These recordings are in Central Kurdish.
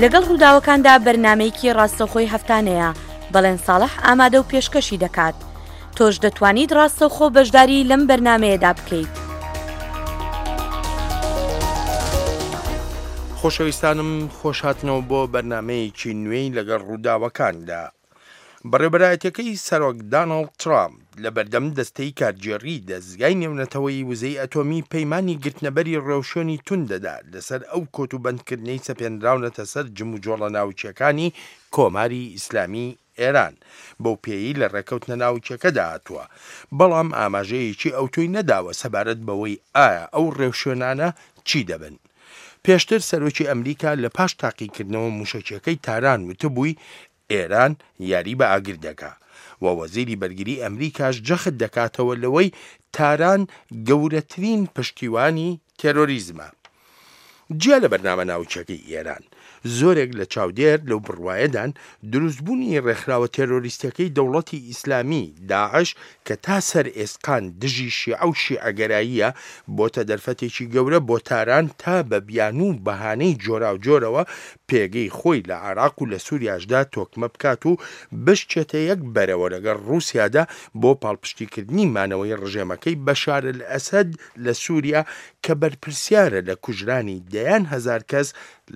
لەگەڵ ڕووداوەکاندا بەرنامەیەکی ڕاستەوخۆی هەفتانەیە، بەڵێن ساڵح ئامادە و پێشکەشی دەکات. تۆش دەتوانیت ڕاستەوخۆ بەشداری لەم بەرنامەیەدا بکەیت. خۆشەویستانم خۆشهاتنەوە بۆ بەرنامەیەکی نوێی لەگەڵ ڕووداوەکاندا. بەڕێوبەرایەتیەکەی سەرۆک دانۆڵد ترامپ لە بەردەم دەستەی کارگێڕی دەزگای نێونەتەوەیی وزەی ئەتۆمی پەیمانی گرتنەبەری ڕێوشوێنی توند دەدات لەسەر ئەو کۆتوبەندکردنەی سەپێنراونەتە سەر جموجۆڵە ناوکییەکانی کۆماری ئیسلامی ئێران بەو پێیەی لە ڕێکەوتنە ناوکیەکەدا هاتووە، بەڵام ئاماژەیەکی ئەوتۆی نەداوە سەبارەت بەوەی ئایا ئەو ڕێوشوێنانە چی دەبن. پێشتر سەرۆکی ئەمریکا لە پاش تاقیکردنەوە موشەکیەکەی تاران وتبووی ئێران یاری بە ئاگر دەکا و وەزیری بەرگری ئەمریکاش جەخت دەکاتەوە لەوەی تاران گەورەترین پشتیوانی تێرۆریزمە. جیا لە بەرنامە ناوکیەکەی ئێران، زۆرێک لە چاودێر لەو بڕوایەدان دروستبوونی ڕێکخراوە تێرۆریستیەکەی دەوڵەتی ئیسلامی، داعش، کە تا سەر ئێسقان دژی شیعە و شیعەگەراییە، بۆتە دەرفەتێکی گەورە بۆ تاران تا بە بیانوو و بەهانەی جۆراوجۆرەوە پێگەی خۆی لە عێراق و لە سوریاشدا تۆکمە بکات و بشچێتە یەک بەرەوە لەگەڵ ڕووسیادا بۆ پاڵپشتیکردنی مانەوەی ڕژێمەکەی بەشارئەلئەسەد لە سوریا کە بەرپرسیارە لە کوژرانی دەیان هەزار کەس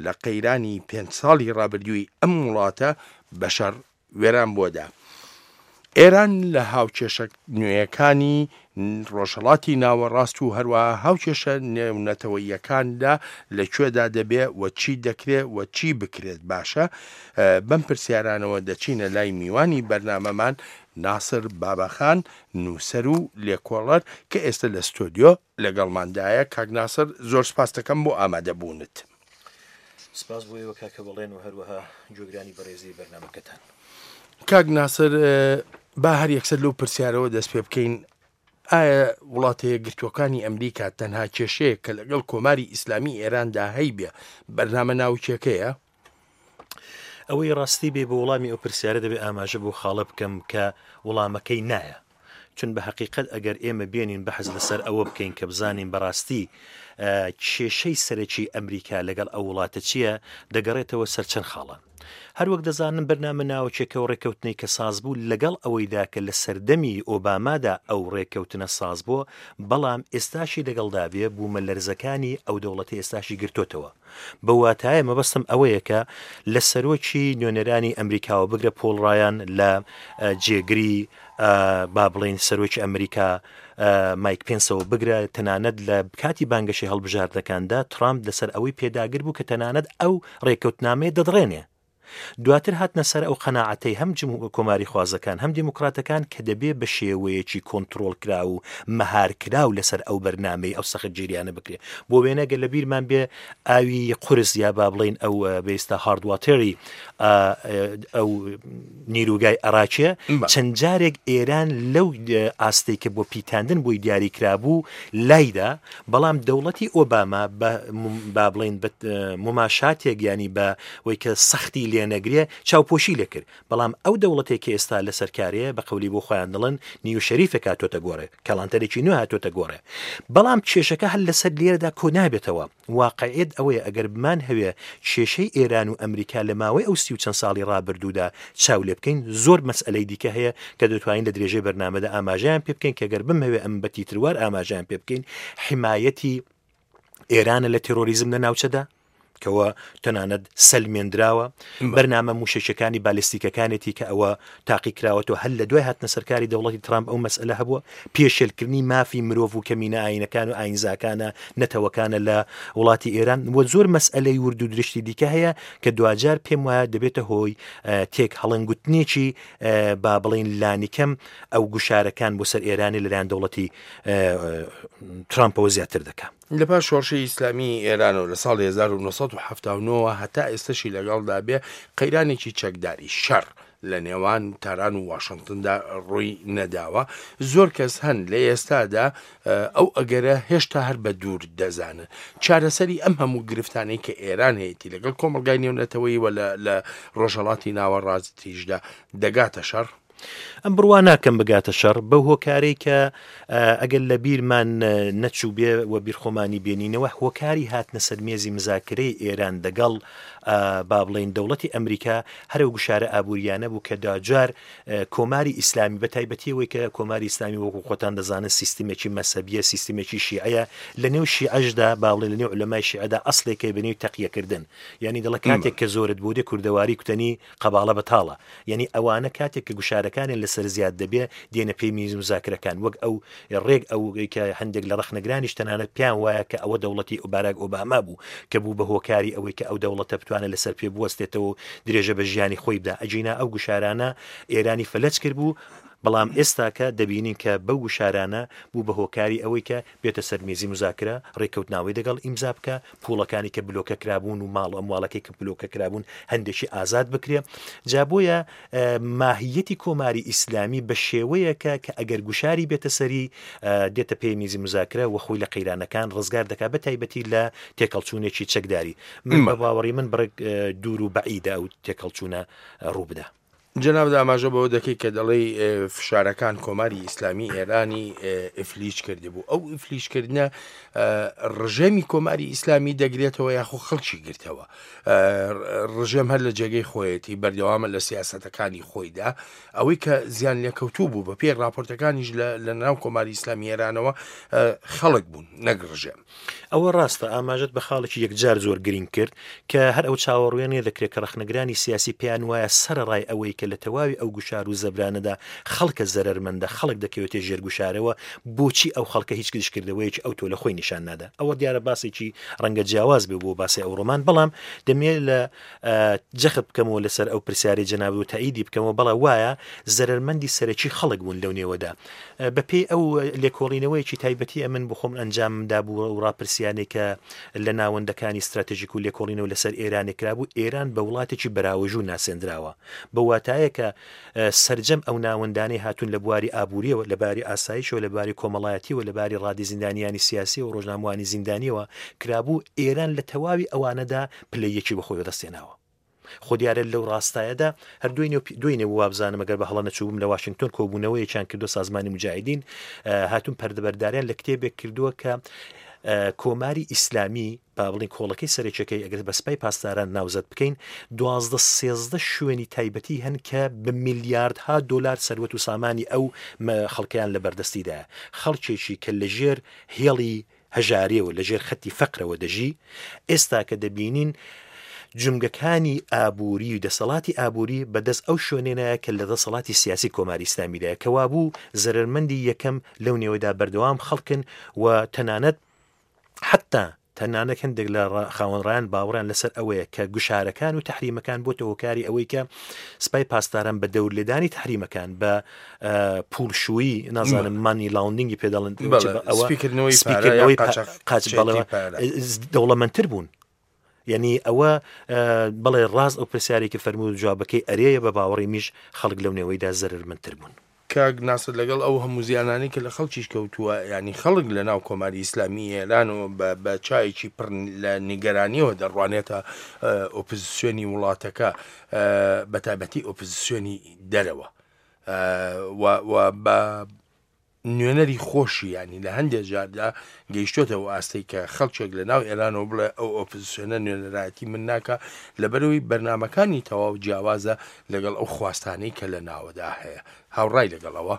لە قەیرانی پێنج ساڵی ڕابردووی ئەم وڵاتە بە شەڕ وێرانبووەدا. ئێران لە هاوکێشە نوێیەکانی ڕۆژهەڵاتی ناوەڕاست و هەروەها هاوکێشە نێونەتەوەییەکاندا لە کوێدا دەبێ و چی دەکرێ و چی بکرێت باشە؟ بەم پرسیارانەوە دەچینە لای میوانی بەرنامەمان ناسر باباخان نووسەر و لێکۆڵەر کە ئێستە لە ستۆدیۆ لەگەڵماندایە. کاک ناسر زۆر سپاست دەکەم بۆ ئامادەبوونت. سپاس بۆ ئێوە کاکە بەڵێن و هەروەها گوێگرانی بەڕێزی بەرنامەکەتان. کاک ناسر با هەر یەکسەر لەو پرسیارەوە دەست پێ بکەین ئایا وڵاتە یەکگرتووەکانی ئەمریکا تەنها کێشەیەک کە لەگەڵ کۆماری ئیسلامی ئێراندا هەیبێ بەرنامە ناوکیەکەیە؟ ئەوەی ڕاستی بێ بۆ وڵامی ئەو پرسیارە دەبێ ئاماژە بۆ خاڵە بکەم کە وڵامەکەی نایە. چون بە هەقیقەت ئەگەر ئێمە بێنین بەحس لەسەر ئەوە بکەین کە بزانین بەڕاستی کێشەی سەرەکی ئەمریکا لەگەڵ ئەو وڵاتە چییە دەگەڕێتەوە سەر چەند خاڵە. هەروەک دەزانن بەرنامە ناوەکێکە و ڕێککەوتنەی کە ساز بوو لەگەڵ ئەوەیدا کە لە سەردەمی ئۆبامادا ئەو ڕێککەوتنە ساز بووە بەڵام ئێستاشی لەگەڵدا بێ بوومەلەرزەکانی ئەو دەوڵەتی ئێستاشی گرتۆتەوە. بەو واتایە مەبەستم ئەوەیە کە لە سەرۆکی نوێنەرانی ئەمریکاوە بگرە پۆڵ ڕایان لە جێگری با بڵین سەرۆکی ئەمریکا مایک پێنسەوە بگرە تەنانەت لە کاتی بانگەشەی هەڵبژاردنەکاندا ترامپ لەسەر ئەوەی پێداگر بوو کە تەنانەت ئەو ڕێککەوتنامەیە دەدڕێنێ دواتر هاتنە سەر ئەو قەناعەتەی هەم کۆماریخوازەکان هەم دیموکراتەکان کە دەبێ بە شێوەیەکی کۆنترۆڵکراو و مەهارکراو لەسەر ئەو بەرنامەی ئەو سەختگیریانە بکرێ. بۆ وێنە گەر لە بیرمان بێ ئاوی قورس یا با بڵێین ئەو بێستا هاردواتێری ئەو نیروگای ئەراکێ چەند جارێک ئێران لەو ئاستێک کە بۆ پیتاندن بۆی دیاری کرابوو لایدا بەڵام دەوڵەتی ئۆباما بە با بڵێین بە مماشاتێک یانی بە وەی کە سەختی لێ نەگرێ چاوپۆشی لێ کرد بەڵام ئەو دەوڵەتێک کە ئێستا لەسەر کارەیە بە قەولی بۆ خۆیان دەڵێن نیو شەریفێک هاتۆتە گۆڕێ کەڵانتەرێکی نوێ هاتۆتە گۆڕێ بەڵام کێشەکە هەر لەسەر لێرەدا کۆ نابێتەوە واقعیت ئەوەیە ئەگەر بمان هەوێ کێشەی ئێران و ئەمریکا لە ماوەی ئەو سی و چەند ساڵی ڕابردوودا چاو لێ بکەین زۆر مەسئەلەی دیکە هەیە کە دەتوانین لە درێژەی بەرنامەدا ئاماژەیان پێ بکەین کە گەر بمهەوێ ئەم بە تیتروار ئاماژەیان پێ بکەین حمایەتی ئێرانە لە تێرۆریزم لە ناوچەدا کەەوە تەنانەت سەلمێندراوە بەرنامە موشەکەکانی بالستیکەکانێتی کە ئەوە تاقیکراوەتەوە هەر لە دوای هاتنە سەرکاری دەوڵەتی ترامپ ئەو مەسئلە هەبووە پێشێلکردنی مافی مرۆڤ و کەمینە ئاینەکان و ئاینزاکانە نەتەوەکانە لە وڵاتی ئێران و زۆر مەسئلەی ورد و درشتی دیکە هەیە کە دواجار پێم وایە دەبێتە هۆی تێک هەڵنگوتنێکی با بڵین لانیکەم ئەو گوشارەکان بۆ سەر ئێرانی لەلایەن دەوڵەتی ترامپەوە زیاتر دەکا. لە پاش شۆڕشی ئیسلامیی ئێرانەوە لە ساڵی 1979 ەوە هەتا ئێستەشی لەگەڵدا بێ، قەیرانێکی چەکداری، شەڕ، لە نێوان تاران و واشنتندا ڕووی نەداوە. زۆر کەس هەن لە ئێستادا ئەو ئەگەرە هێشتا هەر بە دوور دەزانن. چارەسەری ئەم هەموو گرفتانەی کە ئێران هەیەتی لەگەڵ کۆمەڵگای نێونەتەوەیی و لە ڕۆژهەڵاتی ناوەڕاستیشدا دەگاتە شەڕ؟ ئەم بڕوا ناکەم بگاتە شەڕ بەو هۆکارەی کە ئەگەر لە بیرمان نەچووبێ و بیرخۆمانی بێنینەوە هۆکاری هاتنە سەر مێزی مزاکرەی ئێران دەگەڵ با بڵێین دەوڵەتی ئەمریکا هەرەو گوشارە ئابووریانە بوو کە داجار کۆماری ئیسلامی بە تایبەتی ئەوەی کە کۆماری ئیسلامی وەکو خۆتان دەزانن سیستمێکی مەسەبیە سیستمێکی شیعەیە لە نێو شیعەشدا با بڵێن لە نێو علەمای شیعەدا ئەسلێکەی بە نێوی تەقیەکردن یعنی دەڵێ کاتێک کە زۆرت بۆ دێ کوردەواری کوتەنی قەباڵە بەتاڵە یانی ئەوانە کاتێک کە گوشارەکانیان لەسەر زیاد دەبێ دێنە پێی میز مزاکرەکان وەک ئەو ڕێک ئەو کە هەندێک لە ڕەخنەگرانیش تەنانەت پێیان وایە کە ئەوە دەوڵەتی باراک ئۆباما بوو کە بوو بە هۆکاری ئەوەی کە ئەو دەوڵەتە بتوانێت لەسەر پێ بوەستێتەوە و درێژە بە ژیانی خۆی بدا ئەگینا ئەو گوشارانە ئێرانی فەلەج کرد بوو بەڵام ئێستاکە دەبینین کە بەو گوشارانە بوو بە هۆکاری ئەوەی کە بێتە سەر مێزی موزاکرە، ڕێککەوتناوەی دەگەڵ ئیمزا بکا، پووڵەکانی کە بلۆکە کرابوون و ماڵ و ئەمواڵەکەی کە بلۆکە کرابوون هەندێکی ئازاد بکرێ. جا بۆیە ماهییەتی کۆماری ئیسلامی بە شێوەیەکە کە ئەگەر گوشاری بێتە سەری دێتە پێی میزی موزاکرە و خۆی لە قەیرانەکان ڕزگار دەکا بە تایبەتی لە تێکەڵچوونێکی چەکداری. من بە باوەڕی من بڕێک دوور و بەعیدە ئەو تێکەڵچوونە ڕوو بدا. جەنابت ئاماژە بەوە دەکەی کە دەڵێی فشارەکان کۆماری ئیسلامی ئێرانی ئیفلیج کردبوو ئەو ئیفلیجکردنە ڕژێمی کۆماری ئیسلامی دەگرێتەوە یاخۆ خەڵکی گرتەوە ڕژێم هەر لە جێگەی خۆیەتی بەردەوامە لە سیاسەتەکانی خۆیدا ئەوەی کە زیان لێکەوتوو بوو بە پێی راپۆرتەکانیش لە ناو کۆماری ئیسلامی ئێرانەوە خەڵک بوون نەک ڕژێم. ئەوە ڕاستە، ئاماژەت بە خاڵێکی یەکجار زۆر گرینگ کرد کە هەر ئەو چاوەڕوێ نیە دەکرێت کە ڕەخنەگرانی سیاسی پێیان وایە سەرەڕای ئەوەی کە لە تەواوی ئەو گوشار و زەبرانەدا خەڵکە زەرەرمەندە، خەڵک دەکەوێتە ژێر گوشارەوە، بۆچی ئەو خەڵکە هیچ دژکردەوەیەکی ئەوتۆ لە خۆی نیشان نادا؟ ئەوە دیارە باسێکی ڕەنگە جیاواز بێ بۆ باسی ئەوڕۆمان، بەڵام دەمەوێت لە جەخت بکەمەوە لەسەر ئەو پرسیارەی جەنابت و تەئیدی بکەمەوە، بەڵێ وایە زەرەرمەندی سەرەکی خەڵک بوون لەو نێوەدا. بەپێی ئەو لێکۆڵینەوەیەکی تایبەتی ئەمن بۆ خۆم ئەنجامم دابوو ئەو ڕاپرسیانەی کە لە ناوەندەکانی ستراتژیک و لێکۆڵینەوە لەسەر ئێرانێ کرابوو ئێران بە وڵاتێکی بەراوەژوو ناسێندراوە بە واتایە کە سەرجەم ئەو ناوەندانەی هاتوون لە بواری ئابووریەوە لە باری ئاسایشەوە لە باری کۆمەڵایەتیەوە لە باری ڕادی زیندانیانی سیاسی و ڕۆژنامەوانی زیندانیەوە کرابوو ئێران لە تەواوی ئەوانەدا پلەی یەکی بەخۆی بەدەستێناوە. خۆ دیارە لەو ڕاستایەدا هەر دوێنێ و دوێنێ بوو وابزانم ئەگەر بە هەڵە نەچووبم لە واشنگتۆن کۆبوونەوەیەکیان کردو سازمانی موجاهیدین هاتوون پەردەبەرداریان لە کتێبێک کردووە کە کۆماری ئیسلامی با بڵین کۆڵەکەی سەرەکیەکەی ئەگەر بە سپای پاسداران ناوزەد بکەین دوازدە سێزدە شوێنی تایبەتی هەن کە بە میلیاردها دۆلار سەروەت و سامانی ئەو خەڵکیان لە بەردەستیدایە خەڵکێکی کە لەژێر هێڵی هەژاریەوە لە ژێر خەتی فەقرەوە دەژی، ئێستا کە دەبینین جومگەکانی ئابووری و دەسەڵاتی ئابووری بە دەست ئەو شوێنێنایە کە لە دەسەڵاتی سیاسی کۆماری ئیسلامیدایە کە وابوو زەرەرمەندی یەکەم لەو نێوەدا بەردەوام خەڵکن و تەنانەت حتا تەنانەت هەندێک لە خاوەن ڕایان باوەڕیان لەسەر ئەوەیە کە گوشارەکان و تحریمەکان بۆتە هۆکاری ئەوەی کە سپای پاسداران بە دەورلێدانی تحریمەکان بە پوڵشوویی نازانم مانی لاوندینگی پێ دەڵێن ئەوە سپیکردنەوەی قاچ دەوڵەمەندتر بوون. یعنی ئەوە بەڵێ ڕاست ئەو پرسیارێکی فەرموو جوابەکەی ئەرێیە بە باوەڕی میش خەڵک لەو نێوەیدا زەرمەندتر بوون. کاک ناسر لەگەڵ ئەو هەموو زیانانەی کە لە خەڵکیش کەوتووە یانی خەڵک لە ناو کۆماری ئیسلامی ئێرانەوە بە بە چاوێکی پڕ لە نیگەرانیەوە دەڕوانێتە ئۆپزسیۆنی وڵاتەکە بە تایبەتی ئۆپزسیۆنی دەرەوە و و بە نوێنەری خۆشی ینی لە هەندێک جاردا گەیشتۆتە ئەو ئاستەی کە خەڵکێک لە ناو ئێرانەوە بڵێ ئەو ئۆپزسیۆنە نوێنەرایەتی من ناکا لەبەرئەوەی بەرنامەکانی تەواو جیاوازە لەگەڵ ئەو خواستانەی کە لە ناوەدا هەیە هاوڕای لەگەڵ ئەوە؟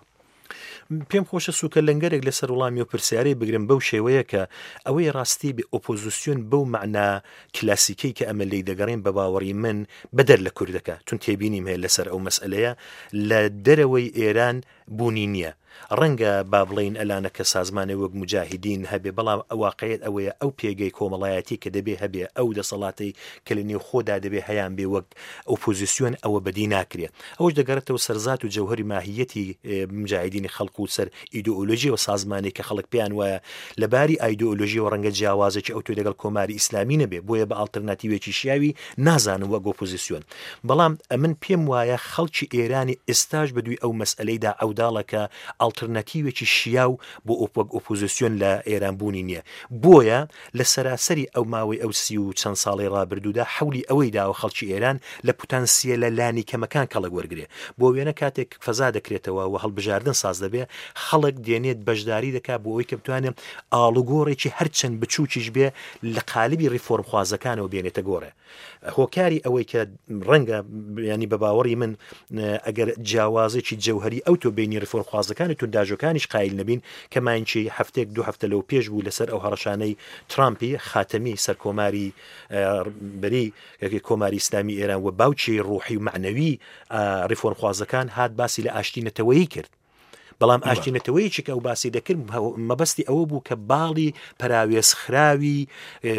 پێم خۆشە سوکە لەنگەرێک لەسەر وڵامی و پرسیارەی بگرم بەو شێوەیە کە ئەوەی ڕاستی بێ ئۆپۆزیسیۆن بەو مەعنا کلاسیکەی کە ئەمە لێی دەگەڕێین بە باوەڕی من بەدەر لە کوردەکە چون تێبینیم هەیە لەسەر ئەو مەسئەلەیە لە دەرەوەی ئێران بوونی نییە. ڕەنگە با بڵێین ئەلانە کە سازمانێ وەک موجاهیدین هەبێ بەڵام واقعیەت ئەوەیە ئەو پێگەی کۆمەڵایەتی کە دەبێ هەبێ ئەو دەسەڵاتەی کە لە نێو خۆدا دەبێ هەیان بێ وەک ئۆپۆزیسیۆن ئەوە بەدی ناکرێ. ئەوەش دەگەڕێتەوە سەر زات و جەوهەری ماهیەتی موجاهیدینی خەڵق و سەر ئیدۆئۆلۆژی و سازمانێک کە خەڵک پێیان وایە لە باری ئایدۆئۆلۆژیەوە ڕەنگە جیاوازێکی ئەوتۆی لەگەڵ کۆماری ئیسلامی نەبێ بۆیە بە ئاڵترناتیوێکی شیاوی نازانم وەک ئۆپۆزیسیۆن. بەڵام ئەمن پێم وایە خەڵکی ئێرانی ئێستاش بە دووی ئەو مەسئەلەیدا عەوداڵە کە ئاڵترناتیوێکی شیاو بۆ ئۆپ وەک ئۆپۆزیسیۆن لە ئێران بوونی نییە. بۆیە لە سەراسەری ئەو ماوەی ئەو 30 و چەند ساڵەی ڕابردوودا حەولی ئەوەی داوە خەڵکی ئێران لە پوتانسیەلە لانیکەمەکان کەڵک وەرگرێ. بۆ وێنە کاتێک فەزا دەکرێتەوە و هەڵبژاردن ساز دەبێ، خەڵک دێنێت بەشداری دەکا بۆ ئەوەی کە بتوانێ ئاڵوگۆڕێکی هەرچەند بچووکیش بێ لە قالبی ڕیفۆرمخوازەکانەوە بێنێتە گۆڕێ. هۆکاری ئەوەی کە ڕەنگە ینی بە باوەڕی من ئەگەر جیاوازێکی جەوهری ئەو تۆ بینی ڕیفۆرمخوازەکانی تونداژۆکانیش قایل نەبین کە ماینکی هەفتێک دو هەفتە لەو پێش بوو لەسەر ئەو هەڕەشانەی ترامپی خاتەمی سەرکۆماری بەری کۆماری ئیسلامی ئێران و باوکی ڕوحی و معنەوی ڕیفۆرمخوازەکان هات باسی لە ئاشتی نەتەوەیی کرد بەڵام ئاشتی نەتەوەیەکی کە ئەو باسی دەکرد مەبەستی ئەوە بوو کە باڵی پەراوێزخراوی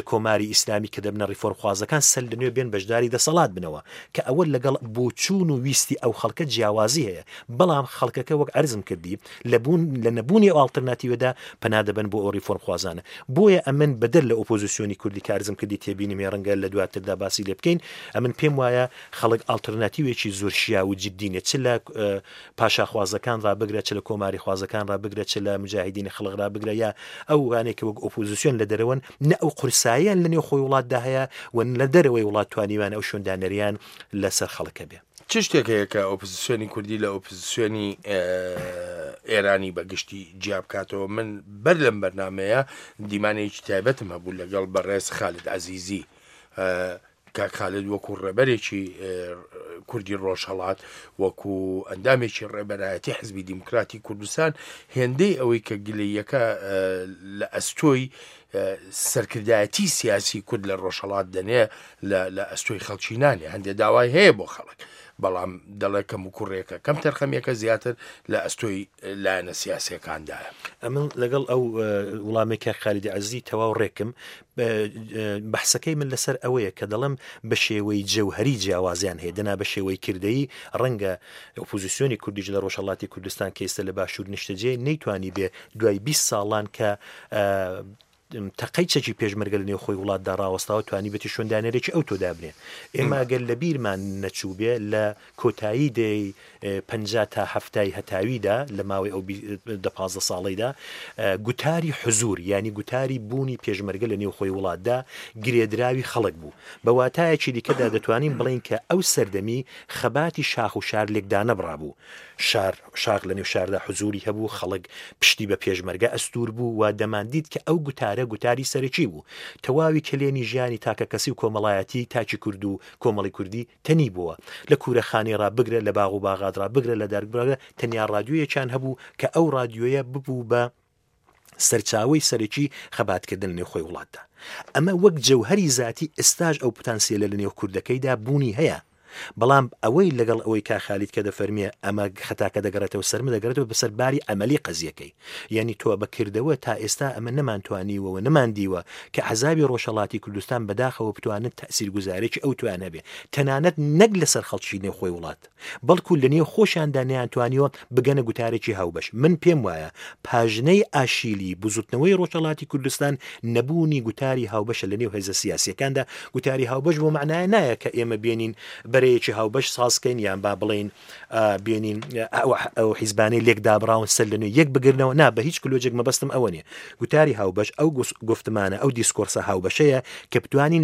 کۆماری ئیسلامی کە دەبنە ڕیفۆرمخوازەکان سەر لە نوێ بێن بەشداری دەسەڵات بنەوە کە ئەوە لەگەڵ بۆچوون و ویستی ئەو خەڵکە جیاوازی هەیە بەڵام خەڵکەکە وەک عەرزم کردی لە بوون لە نەبوونی ئەو ئاڵترناتیوەدا پەنا دەبەن بۆ ئەو ڕیفۆرمخوازانە بۆیە ئەمن بەدەر لە ئۆپۆزیسیۆنی کوردی کە عەرزم کردی تێبینیم هەیە ڕەنگە لە دواتردا باسی لێ بکەین ئەمن پێم وایە خەڵک ئاڵترناتیوێکی زۆر شیاو و جدی نیە چ لە پاشاخوازەکان ڕا بگرە چ لە کۆماریخوازەکان ڕا بگرە چ لە موجاهیدینی خەڵق ڕا بگرە یا ئەو وانەی کە وەک ئۆپۆزیسیۆن لە دەرەوەن نە ئەو قورساییان لە نێو خۆی وڵاتدا هەیە و لە دەرەوەی وڵات توانیویانە ئەو شوێندانەریان لەسەر خەڵک هەبێ. چ شتێک هەیە کە ئۆپۆزیسیۆنی کوردی لە ئۆپۆزیسیۆنی ئێرانی بە گشتی جیا بکاتەوە؟ من بەر لەم بەرنامەیە دیمانەیەکی تایبەتم هەبوو لەگەڵ بەڕێز خالد عەزیزی کاک خالد وەکو ڕێبەرێکی کوردی ڕۆژهەڵات وەکو ئەندامێکی ڕێبەرایەتی حزبی دیموکراتی کوردستان هێندەی ئەوەی کە گلەیەکە لە ئەستۆی سەرکردایەتی سیاسی کورد لە ڕۆژهەڵات دەنێ لە ئەستۆی خەڵکی نانێ هەندێک داوای هەیە بۆ خەڵک بەڵام دەڵێ کەم و کوڕێکە کەم تەرخەمیەکە زیاتر لە ئەستۆی لایەنە سیاسەکاندایە. ئەمن لەگەڵ ئەو وڵامێک کاک خالیدی عەزیزی تەواو ڕێکم بەحسەکەی من لەسەر ئەوەیە کە دەڵێم بە شێوەی جەوهەری جیاوازیان هەیە دەنا بە شێوەی کردەیی ڕەنگە ئۆپۆزیسیۆنی کوردیش لە ڕۆژهەڵاتی کوردستان کە ئێستا لە باشوور نیشتەجێ نەیتوانی بێ دوای 20 ساڵان کە تەقەی چەکی پێشمەرگە لە نێوخۆی وڵاتدا ڕاوەستاوە توانیبێتی شوێندانەرێکی ئەوتۆ دابنێ. ئێمە گەر لە بیرمان نەچووبێ لە کۆتایی دەیەی 50 تا هەفتای هەتاویدا لە ماوەی ئەو دە 15 ساڵەیدا گوتاری حزوور یانی گوتاری بوونی پێشمەرگە لە نێوخۆی وڵاتدا گرێدراوی خەڵک بوو. بە واتایەکی دیکەدا دەتوانین بڵێین کە ئەو سەردەمی خەباتی شاخ و شار لێکدانەبڕابوو. شار شاخ لە نێو شاردا حزووری هەبوو، خەڵک پشتی بە پێشمەرگە ئەستوور بوو و دەماندیت کە ئەو گوتارە گوتاری سەرەکی بوو. تەواوی کەلێنی ژیانی تاکەکەسی و کۆمەڵایەتیی تاکی کورد و کۆمەڵی کوردی تەنیبووە. لە کوورەخانەی ڕا بگرە، لە باغ و باغات ڕا بگرە، لە دارک بگرە، تەنیا ڕادیۆیەکیان هەبوو کە ئەو ڕادیۆیە ببوو بە سەرچاوەی سەرەکی خەباتکردن لە نێوخۆی وڵاتدا. ئەمە وەک جەوهەری زاتی ئێستاش ئەو پتانسیەلە لە نێو کوردەکەیدا بوونی هەیە. بەڵام ئەوەی لەگەڵ ئەوەی کاک خالید کە دەفەرموێ ئەمە خەتاکە دەگەڕێتەوە سەر من دەگەڕێتەوە بەسەر باری عەمەلی قەزیەکەی. یانی تۆ بە کردەوە تا ئێستا ئەمە نەمانتوانیوە و نەماندیوە کە ئەحزابی ڕۆژهەڵاتی کوردستان بەداخەوە بتوانن تەئسیرگوزارێکی ئەوتۆیان هەبێ تەنانەت نەک لەسەر خەڵکی نێوخۆی وڵات. بەڵکو لە نێو خۆشیاندا نەیانتوانیوە بگەنە گوتارێکی هاوبەش. من پێم وایە پاژنەی ئاشیلی بزوتنەوەی ڕۆژهەڵاتی کوردستان نەبوونی گوتاری هاوبەشە لە نێو هێزە سیاسیەکاندا، گوتاری هاوبەش بۆ مەعنایە نایە کە ئێمە بێنین بەرەیەکی هاوبەش ساز کەین یان با بڵێین بێنین ئەو حیزبانەی لێک دابڕاون سەر لە نوێ یەک بگرنەوە، نا بە هیچ کلۆجێک مەبەستم ئەوە نیە. گوتاری هاوبەش ئەو گوفتمانە ئەو دیسکۆرسە هاوبەشەیە کە بتوانین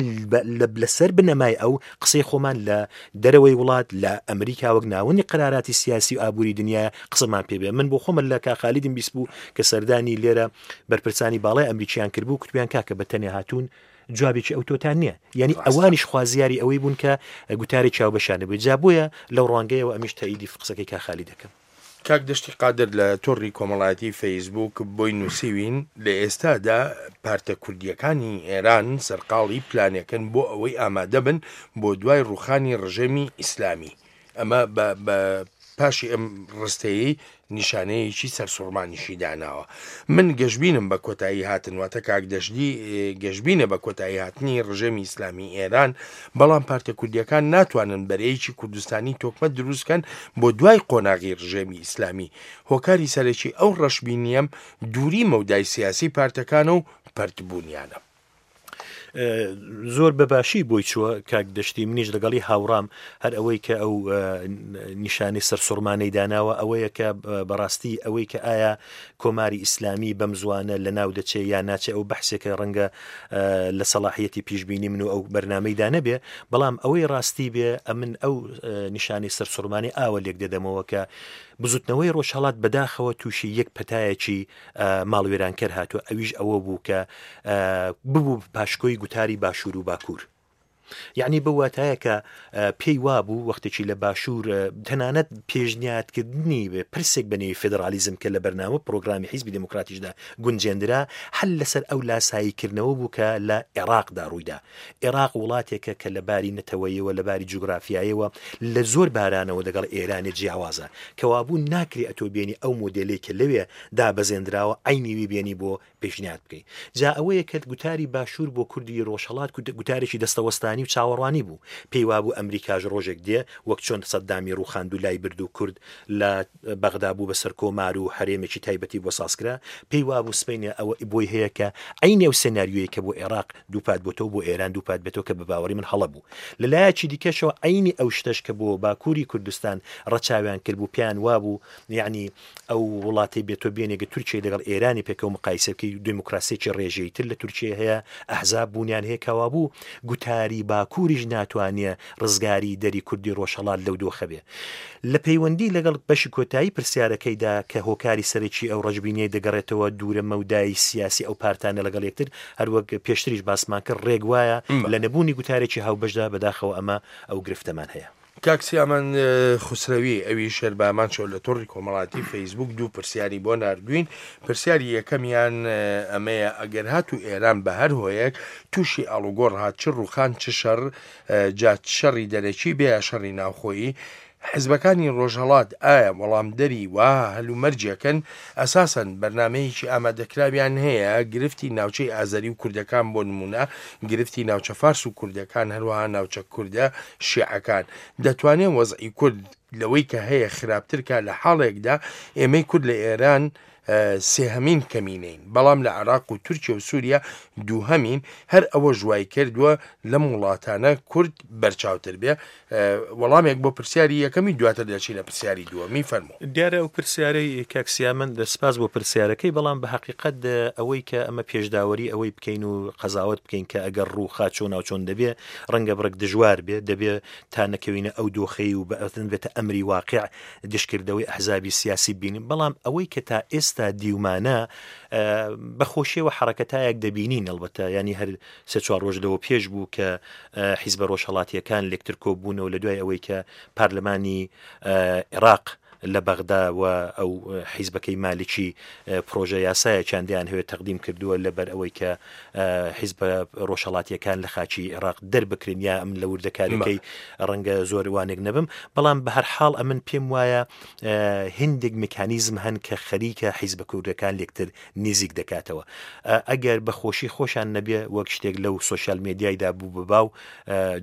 لەسەر بنەمای ئەو قسەی خۆمان لە دەرەوەی وڵات لە ئەمریکا وەک ناوەندی قەراراتی سیاسی و ئابووری دنیا قسەمان پێ بێ من بۆ خۆمە لە کا خالیدم بیست بوو کە سەردانی لێرە بەرپرسانی باڵای ئەمریکیان کردبوو کوتبیان کاکە بە تەنێ هاتوون جوابێکی ئەو تۆتان نییە یعنی ئەوانیش خوازیاری ئەوەی بوون کە گوتاری چاوبەشانە بێت جا بۆیە لەو ڕوانگەیەوە ئەمیش تەئیدی قسەکەی کا خالی دەکەم. کاک دەشتی قادر لە تۆڕی کۆمەڵایەتی فەیسبووک بۆی نووسیوین، لە ئێستادا پارتە کوردییەکانی ئێران سەرقاڵی پلانێکن بۆ ئەوەی ئامادەبن بۆ دوای ڕووخانی ڕژێمی ئیسلامی. ئەمە بە بە پاشی ئەم ڕستەیەی نیشانەیەکی سەرسوڕمانیشی داناوە. من گەشبینم بە کۆتایی هاتن، واتە کاک دەشتی گەشبینە بە کۆتایی هاتنی ڕژێمی ئیسلامی ئێران، بەڵام پارتە کوردییەکان ناتوانن بەرەیەکی کوردستانی تۆکمە دروست کەن بۆ دوای قۆناغی ڕژێمی ئیسلامی. هۆکاری سەرەکی ئەو ڕەشبینییەم دووری مەودای سیاسی پارتەکانە و پەرتبوونیانە. زۆر بە باشی بۆی چووە کاک دەشتی منیش لەگەڵی هاوڕام هەر ئەوەی کە ئەو نیشانەی سەرسوڕمانەی داناوە ئەوەیە کە بەڕاستی ئەوەی کە ئایا کۆماری ئیسلامی بەم زوانە لە ناو دەچێ یا ناچێ ئەو بەحسێکە ڕەنگە لە سەڵاحیەتی پیشبینی من و ئەو بەرنمەیدا نەبێ بەڵام ئەوەی ڕاستی بێ ئەمن ئەو نیشانەی سەرسوڕمانی ئاوە لێک دەدەمەوە کە بزوتنەوەی ڕۆژهەڵات بەداخەوە تووشی یەک پەتایەکی ماڵوێرانکەر هاتووە ئەویش ئەوە بوو کە ببوو پاشکۆی گوتاری باشوور و باکوور. یعنی بە واتایە کە پێی وابوو وەختێکی لە باشوور تەنانەت پێشنیادکردنی پرسێک بە نێوی فێدرالیزم کە لە بەرنامە پرۆگرامی حیزبی دێموکراتیشدا گونجێندرا هەر لەسەر ئەو لاساییکردنەوە بوو کە لە عێراقدا ڕوویدا عێراق وڵاتێکە کە لە باری نەتەوەیەوە لە باری جوگرافیایەوە لە زۆر بارانەوە دەگەڵ ئێرانێ جیاوازە کەوابوو ناکرێ ئەتۆ بێنی ئەو مۆدێلەی کە لەوێ دابەزێندراوە عەینی وی بێنی بۆ پێشنیاد بکەی. جا ئەوەیە کە گوتاری باشوور بۆ کوردی ڕۆژهەڵات گوتارێکی دەستەوەستانی و چاوەڕوانی بوو. پێی وابوو ئەمریکاش ڕۆژێک دێ وەک چۆن سەددامی ڕووخاند و لای برد و کورد لە بەغدا بوو بە سەرکۆمار و هەرێمێکی تایبەتی بۆ سازکرا، پێی وابوو سبەینێ ئەوە بۆی هەیە کە عەینی ئەو سێناریۆیەی کە بۆ ئێراق دووپات بۆتەوە بۆ ئێران دووپات بێتەوە کە بە باوەڕی من هەڵە بوو. لە لایەکی دیکەشەوە عەینی ئەو شتەش کە بۆ باکووری کوردستان ڕەچاویان کردبوو پێیان وابوو یەعنی ئەو وڵاتەی بێ تۆ بێنێ گە تورکیای لەگەڵ ئێرانی پێکەوە مقایسە بکەی دێموکراسیەکی ڕێژەیی تر لە تورکیە هەیە ئەحزاب بوونیان هەیە کەوابوو گوتاری باکووریش ناتوانێ ڕزگاری دەری کوردی ڕۆژهەڵات لەو دۆخە بێ لە پەیوەندی لەگەڵ بەشی کۆتایی پرسیارەکەیدا کە هۆکاری سەرەکی ئەو ڕەشبینیەی دەگەڕێتەوە دوورە مەودای سیاسی ئەو پارتانە لەگەڵ یەکتر هەروەک پێشتریش باسمان کرد ڕێک وایە لە نەبوونی گوتارێکی هاوبەشدا بەداخەوە ئەمە ئەو گرفتەمان هەیە. کاک سیامەند خوسرەوی ئەویش هەر بە هەمان شێوە لە تۆڕی کۆمەڵاتی فەیسبوک دوو پرسیاری بۆ ناردووین، پرسیاری یەکەمیان ئەمەیە ئەگەر هاتوو ئێران بە هەر هۆیەک تووشی ئاڵوگۆڕ هات چ ڕووخان چ شەڕ جا شەڕی دەرەکی بێ یا شەڕی ناوخۆیی حزبەکانی ڕۆژهەڵات ئایا وەڵامدەری وەها هەلومەرجێکن؟ ئەساسەن بەرنامەیەکی ئامادەکراویان هەیە گرفتی ناوچەی ئازەری و کوردەکان بۆ نموونە گرفتی ناوچە فارس و کوردەکان هەروەها ناوچە کوردە شیعەکان دەتوانێ وەزعی کورد لەوەی کە هەیە خراپتر کا لە حاڵێکدا ئێمەی کورد لە ئێران سێهەمین کەمینەین بەڵام لە عێراق و تورکیە و سووریا دووهەمین هەر ئەوەش وای کردووە لەم وڵاتانە کورد بەرچاوتر بێ وەڵامێک بۆ پرسیاری یەکەمی دواتر دەچینە پرسیاری دووەمی فەرموو. دیارە ئەو پرسیارەی کاک سیامەند سپاس بۆ پرسیارەکەی بەڵام بە هەقیقەت ئەوەی کە ئەمە پێشداوەری ئەوەی بکەین و قەزاوەت بکەین کە ئەگەر ڕووخا چۆناو چۆن دەبێ ڕەنگە بڕێک دژوار بێ دەبێ تا نەکەوینە ئەو دۆخەی و بەئەتن بێتە ئەمری واقع دژکردەوەی ئەحزابی سیاسی بینین بەڵام ئەوەی کە تا ئێستا دیومانە بە خۆشیەوە حەڕەکەتایەک دەبینین ئەڵبەتە یانی هەر سێ چوار ڕۆژ لەوە پێش بوو کە حیزبە ڕۆژهەڵاتییەکان لێکتر کۆبوونەوە لە دوای ئەوەی کە پارلمانی عێراق لە بەغدا و ئەو حیزبەکەی مالکی پرۆژە یاسایەکیان دەیان هەوێت تەقدیم کردووە لەبەر ئەوەی کە حیزبە ڕۆژهەڵاتییەکان لە خاکی عێراق دەربکرێن یا ئەمن لە وردەکاریەکەی ڕەنگە زۆر وانێک نەبم بەڵام بە هەر حاڵ ئەمن پێم وایە هندێک مکانیزم هەن کە خەریکە حیزبە کوردەکان لێکتر نیزیک دەکاتەوە ئەگەر بە خۆشی خۆشان نەبێ وەک شتێک لەو سۆشیال مێدیایدا بوو بە باو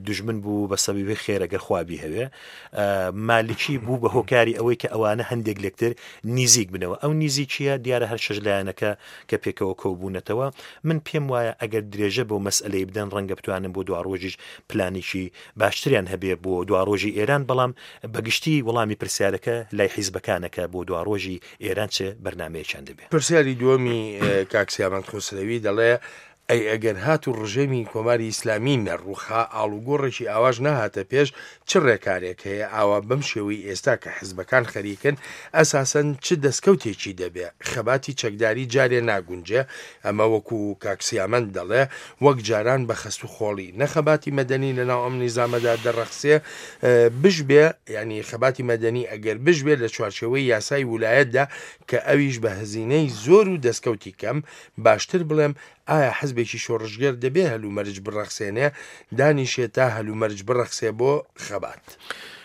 دوژمن بوو بە سەبیبی خێرە گەر خوا بیهەوێ مالکی بوو بە هۆکاری ئەوەی کە ئەوانە هەندێک لێکتر نیزیک بنەوە ئەو نیزیکیە دیارە هەر شەش لایەنەکە کە پێکەوە کۆبوونەتەوە من پێم وایە ئەگەر درێژە بۆ مەسئلەی بدەن ڕەنگە بتوانن بۆ دواڕۆژیش پلانێکی باشتریان هەبێ بۆ دواڕۆژی ئێران بەڵام بەگشتی وەڵامی پرسیارەکە لای حیزبەکانە کە بۆ دواڕۆژی ئێران چ بەرنامەیەکیان دەبێ. پرسیاری دووەمی کاک سیامەند خوسرەوی دەڵێ، ئەی ئەگەر هاتوو ڕژێمی کۆماری ئیسلامی نەڕووخا، ئاڵوگۆڕێکی ئاواش نەهاتە پێش، چ ڕێکارێک هەیە ئاوا بەم شێوەی ئێستا کە حزبەکان خەریکن، ئەساسەن چ دەسکەوتێکی دەبێ؟ خەباتی چەکداری جارێ ناگونجێ، ئەمە وەکوو کاک سیامەند دەڵێ، وەک جاران بە خەست و خۆڵی، نە خەباتی مەدەنی لەناو ئەم نیزامەدا دەڕەخسێ، بشبێ، یانی خەباتی مەدەنی ئەگەر بشبێ لە چوارچێوەی یاسای ولایەتدا کە ئەویش بە هەزینەی زۆر و دەسکەوتی کەم، باشتر بڵێم ئایا حزبێکی شۆڕشگێر دەبێ هەلومەرج بڕەخسێنێ، دانیشێ تا هەلومەرج بڕەخسێ بۆ خەبات؟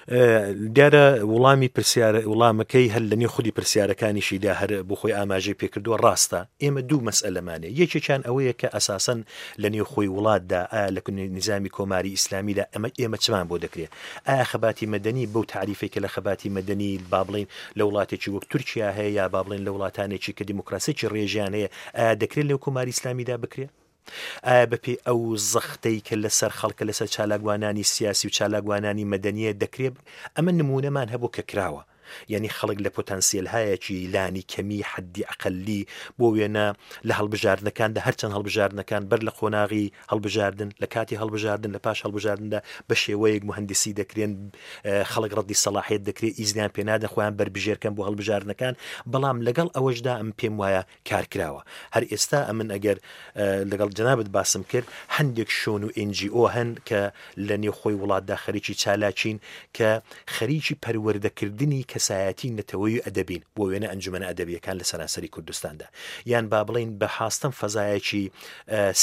دیارە وڵامی پرسیار وڵامەکەی هەر لە نێو خودی پرسیارەکانیشیدا هەر بۆ خۆی ئاماژەی پێکردووە ڕاستە ئێمە دوو مەسئلەمانێ یەکێکیان ئەوەیە کە ئەساسەن لە نێو خۆی وڵاتدا ئایا لە نیزامی کۆماری ئیسلامیدا ئەمە ئێمە چمان بۆ دەکرێت ئایا خەباتی مەدەنی بەو تاریفێک کە لە خەباتی مەدەنی با بڵین لە وڵاتێکی وەک تورکیا هەیە یا با بڵێن لە وڵاتانێکی کە دیموکراسیی ڕێژیان هەیە ئایا دەکرێت لەو کۆماری ئیسلامیدا بکرێت؟ ئایا بەپێی ئەو زەختەی کە لەسەر خەڵکە لەسەر چالاکوانانی سیاسی و چالاکوانانی مەدەنییە دەکرێ ئەمە نموونەمان هەبوو کە کراوە. یانی خەڵک لە پۆتانسیێلهایەکی لانی کەمی حەدی ئەقەللی بۆ وێنە لە هەڵبژاردنەکاندا هەرچەند هەڵبژاردنەکان بەر لە قۆناغی هەڵبژاردن لە کاتی هەڵبژاردن لە پاش هەڵبژاردندا بە شێوەیەک موهەندیسی دەکرێن خەڵک ڕەدی سەڵاحیەت دەکرێت ئیزنیان پێ نادەن خۆیان بەربژێرکەن بۆ هەڵبژاردنەکان بەڵام لەگەڵ ئەوەشدا ئەم پێم وایە کار کراوە هەر ئێستا ئەمن ئەگەر لەگەڵ جەنابت باسم کرد هەندێک شۆن و NGO هەن کە لە نێوخۆی وڵاتدا خەریکی چالاکین کە خەریکی پەروەردەکردنی کەسایەتی نەتەوەیی و ئەدەبین بۆ وێنە ئەنجومەنە ئەدەبییەکان لە سەرانسەری کوردستاندا یان با بڵێین بە حاستەم فەزایەکی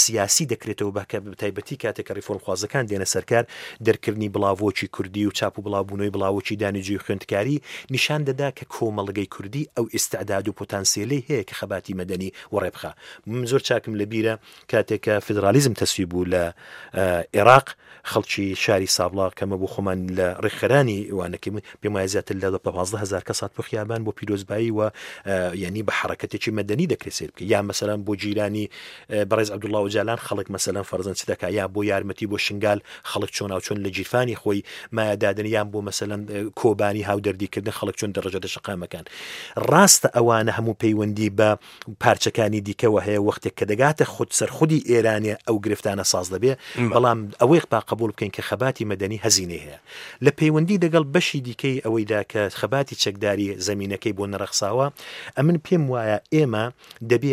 سیاسی دەکرێتەوە بە کە بەتایبەتی کاتێک کە ڕیفۆرمخوازەکان دێنە سەرکار دەرکردنی بڵاڤۆکی کوردی و چاپ و بڵاوبوونەوەی بڵاوۆکی دانیجوی خوێندکاری نیشان دەدا کە کۆمەڵگەی کوردی ئەو ئیستعداد و پۆتانسیەلەی هەیە کە خەباتی مەدەنی وەڕێ بخا. من زۆر چاکم لە بیرە کاتێک کە فیدرالیزم تەسویب بوو لە ئێراق خەڵکی شاری سابڵاغ کە مە بۆ خۆمان لە ڕێکخەرانی وانەکەی من پێم وایە زیاتر لە 15 هەزار کەس هات بۆ خیابان بۆ پیرۆزبایی و یعنی بە حرەکەتێکی مەدەنی دەکرێت سێر بکە یا مەسەلەن بۆ جیرانی بەڕێز عەبدوڵڵا ئۆجالان خەڵک مەسەلەن فەرزەن چ دەکا یا بۆ یارمەتی بۆ شنگال خەڵک چۆناو چۆن لە گیرفانی خۆی مایە دادەن یان بۆ مەسەلەن کۆبانی هاودەردیکردن خەڵک چۆن دەڕژێتە شەقامەکان ڕاستە ئەوانە هەموو پەیوەندی بە پارچەکانی دیکەوە هەیە وەختێک کە دەگاتە خود سەر خودی ئێرانێ ئەو گرفتانە ساز دەبێ بەڵام ئەوەی با قبول بکەین کە خەباتی مەدەنی هەزینەی هەیە لە پەیوەندی دەگەڵ بەشی دیکەی ئەوەیدا کە خەباتی چەکداری زەمینەکەی بۆ نەڕەخساوە ئەمن پێم وایە ئێمە دەبێ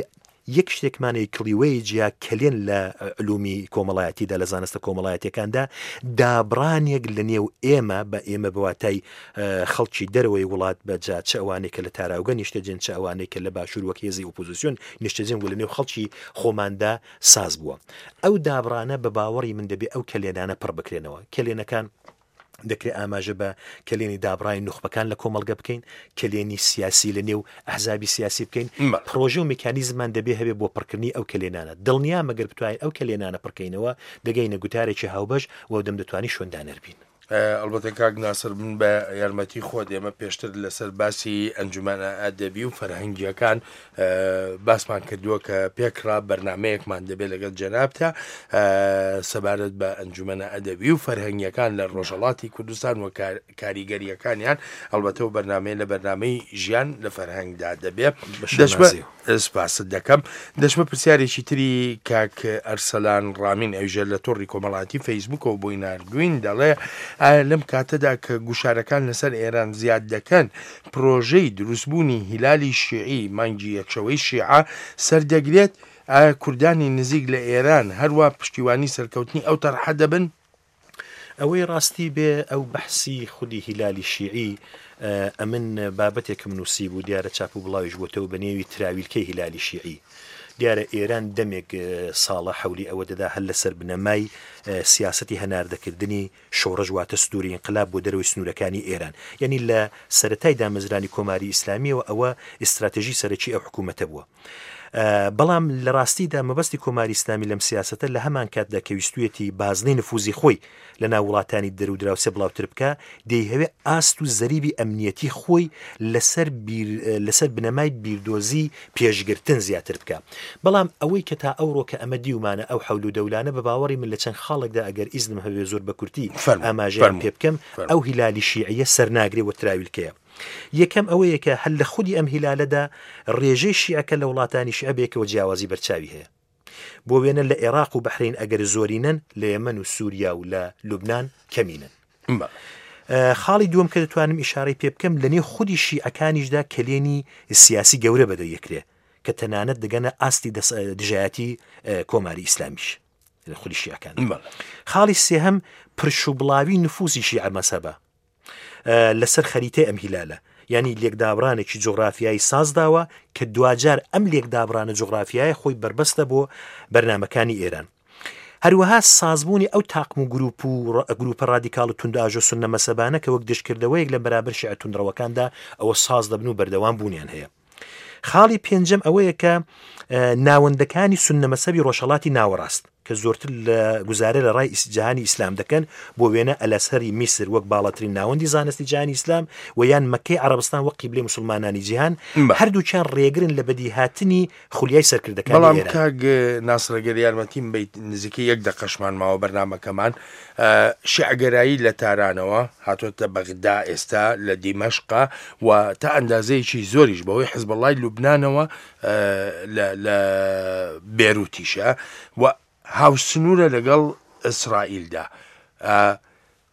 یەک شتێکمان هەیە کڵیوەی جیا کەلێن لە علومی کۆمەڵایەتیدا لە زانستە کۆمەڵایەتیەکاندا دابڕانێک لە نێو ئێمە بە ئێمە بەواتای خەڵکی دەرەوەی وڵات بە جا چ ئەوانەی کە لە تاراوگە نیشتەجێن چ ئەوانەی کە لە باشوور وەک هێزی ئۆپۆزیسیۆن نیشتەجێن و لە نێو خەڵکی خۆماندا ساز بووە ئەو دابڕانە بە باوەڕی من دەبێ ئەو کەلێنانە پڕ بکرێنەوە کەلێنەکان دەکرێت ئاماژە بە کەلێنی دابڕانی نوخبەکان لە کۆمەڵگە بکەین، کەلێنی سیاسی لە نێو ئەحزابی سیاسی بکەین، پڕۆژە و میکانیزممان دەبێ هەبێ بۆ پڕکردنی ئەو کەلێنانە. دڵنیام ئەگەر بتوانین ئەو کەلێنانە پڕکەینەوە، دەگەینە گوتارێکی هاوبەش و ئەودەم دەتوانین شوێندانەر بین. ئەڵبەتە کاک ناسر من بە یارمەتی خۆت ئێمە پێشتر لەسەر باسی ئەنجومەنە ئەدەبی و فەرهەنگییەکان باسمان کردووە کە پێکڕا بەرنمەیەکمان دەبێت لەگەڵ جەنابتا سەبارەت بە ئەنجومەنە ئەدەبی و فەرهەنگیەکان لە ڕۆژهەڵاتی کوردستان و کاریگەریەکانیان ئەڵبەتە و بەرنمەیە لە بەرنمەی ژیان لە فەرهەنگدا دەبێ دەشمە سپاست دەکەم دەشمە پرسیارێکی تری کاک ئەرسەلان ڕامین ئەوژە لە تۆڕی کۆمەڵاتی فەیسبوکەوە بۆی ناردوین دەڵێ ئایا لەم کاتەدا کە گوشارەکان لەسەر ئێران زیاد دەکەن پرۆژەی دروستبوونی هیلالی شیعی، مانگی یەکشەوەی شیعە، سەردەگرێت، ئایا کوردانی نزیک لە ئێران هەروا پشتیوانی سەرکەوتنی ئەو تەرحە دەبن؟ ئەوەی ڕاستی بێ ئەو بەحسی خودی هیلالی شیعی ئەمن بابەتێکم نووسیبوو دیارە چاپ و بڵاویش بۆتەوە بە نێوی تراویلکەی هیلالی شیعی دیارە ئێران دەمێک ساڵە حەولی ئەوە دەدا هەر لەسەر بنەمای سیاسەتی هەناردەکردنی شۆڕش واتە سدوری ئینقلاب بۆ دەرەوەی سنوورەکانی ئێران. یانی لە سەرەتای دامەزرانی کۆماری ئیسلامییەوە ئەوە ئیستراتێژی سەرەکی ئەو حکوومەتە بووە. بەڵام لە ڕاستیدا مەبەستی کۆماری ئیسلامی لەم سیاسەتە لە هەمان کاتدا کە ویستوویەتی بازنەی نفوزی خۆی لە ناو وڵاتانی دەر و دراوسێ بڵاوتر بکا، دەیهەوێ ئاست و زەریبی ئەمنیەتی خۆی لەسەر بیر لەسەر بنەمای بیردۆزی پێشگرتن زیاتر بکا. بەڵام ئەوەی کە تا ئەوڕۆ کە ئەمە دیومانە ئەو حەول و دەولانە بە باوەڕی من لە چەند خاڵێکدا ئەگەر ئیزنم هەبێ زۆر بە کورتی فەرموو ئاماژەیان فەرموو پێ بکەم فەرموو. ئەو هیلالی شیعیە سەرناگرێ و تراویلکەیە. یەکەم ئەوەیە کە هەر لە خودی ئەم هیلالەدا ڕێژەی شیعەکە لە وڵاتانی شیعە بەیەکەوە جیاوازی بەرچاوی هەیە. بۆ وێنە لە ئێراق و بەحرەین ئەگەر زۆرینەن، لە یەمەن و سووریا و لە لوبنان کەمینەن. خاڵی دووەم کە دەتوانم ئیشارەی پێ بکەم لە نێو خودی شیعەکانیشدا کەلێنی سیاسی گەورە بەدەیەکرێ کە تەنانەت دەگەنە ئاستی دژایەتی کۆماری ئیسلامیش لە خودی شیعەکان. خاڵی سێهەم پرش و بڵاوی نفوزی شیعە مەزهەبە لەسەر خەریتەی ئەم هیلالە یانی لێکدابڕانێکی جوغرافیایی سازداوە کە دواجار ئەم لێکدابڕانە جوغرافیایە خۆی بەربەستە بۆ بەرنامەکانی ئێران. هەروەها سازبوونی ئەو تاقم و گروپ و گروپە ڕادیکاڵ و توندئاژۆ سوننە مەزهەبانە کە وەک دژکردەوەیەک لە بەرابەر شیعە توندڕەوەکاندا ئەوە ساز دەبن و بەردەوام بوونیان هەیە. خاڵی پێنجەم ئەوەیە کە ناوەندەکانی سوننە مەزهەبی ڕۆژهەڵاتی ناوەڕاست. کە زۆرتر لە گوزارە لە ڕای جیهانی ئیسلام دەکەن، بۆ وێنە ئەلئەزهەری میسر وەک باڵاترین ناوەندی زانستی جیهانی ئیسلام و یان مەککەی عەڕەبستان وەک قیبلەی موسڵمانانی جیهان، هەردووکیان ڕێگرن لە بەدیهاتنی خولیای سەرکردەکانی بەڵام ئێران. کاک ناسر گەر یارمەتیم بەیت نزیکەی یەک دەقەشمان ماوە بەرنامەکەمان، شیعەگەرایی لە تارانەوە هاتۆتە بەغدا ئێستا لە دیمەشقە و تا ئەندازەیەکی زۆریش بەهۆی حزبوڵڵای لوبنانەوە لە لە بێروتیشە و هاوسنوورە لەگەڵ ئیسرائیلدا.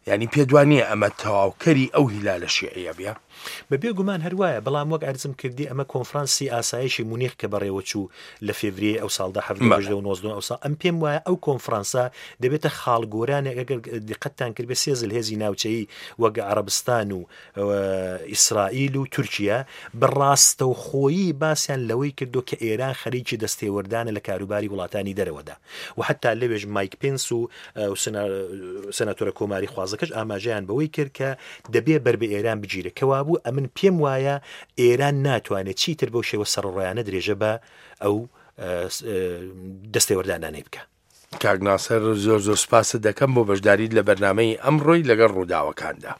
یانی پێت وا نییە ئەمە تەواوکەری ئەو هیلالە شیعییە بێ؟ بە بێ گومان هەر وایە، بەڵام وەک عەرزم کردی ئەمە کۆنفرانسی ئاسایشی مونیخ کە بەڕێوە چوو لە فێڤریەی ئەو ساڵدا حەڤدە و هەژدە و نۆزدە ئەو ساڵ ئەم پێم وایە ئەو کۆنفرانسە دەبێتە خاڵگۆرانێک ئەگەر دیقەتتان کردبێ سێ زلهێزی ناوچەیی وەک عەڕەبستان و ئیسرائیل و تورکیە بە ڕاستەوخۆیی باسیان لەوەی کردووە کە ئێران خەریکی دەستێوەردانە لە کاروباری وڵاتانی دەرەوەدا و حەتا لەوێش مایک پێنس و سەناتۆرە کۆماری خوازەکەش ئاماژەیان بەوەی کرد کە دەبێ بەر بە ئێران بگیرێت کەوابوو ئەمن پێم وایە ئێران ناتوانێت چیتر بەو شێوە سەرڕۆیانە درێژە بە ئەو دەستێوەردانانەی بکە. کاک ناسر زۆر زۆر سپاست دەکەم بۆ بەشداریت لە بەرنامەی ئەمڕۆی لەگەڵ ڕووداوەکاندا.